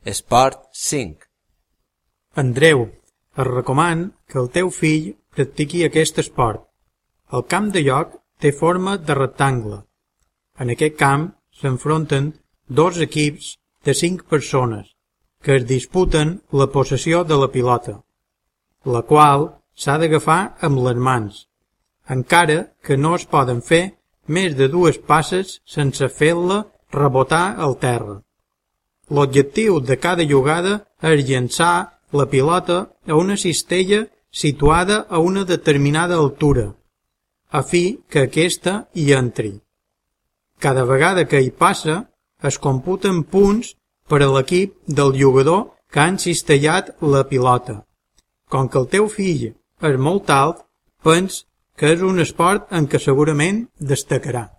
Esport 5. Andreu, et recomano que el teu fill practiqui aquest esport. El camp de joc té forma de rectangle. En aquest camp s'enfronten dos equips de 5 persones que es disputen la possessió de la pilota, la qual s'ha d'agafar amb les mans, encara que no es poden fer més de 2 passes sense fer-la rebotar al terra. L'objectiu de cada jugada és llançar la pilota a una cistella situada a una determinada altura, a fi que aquesta hi entri. Cada vegada que hi passa, es computen punts per a l'equip del jugador que ha encistellat la pilota. Com que el teu fill és molt alt, pens que és un esport en què segurament destacarà.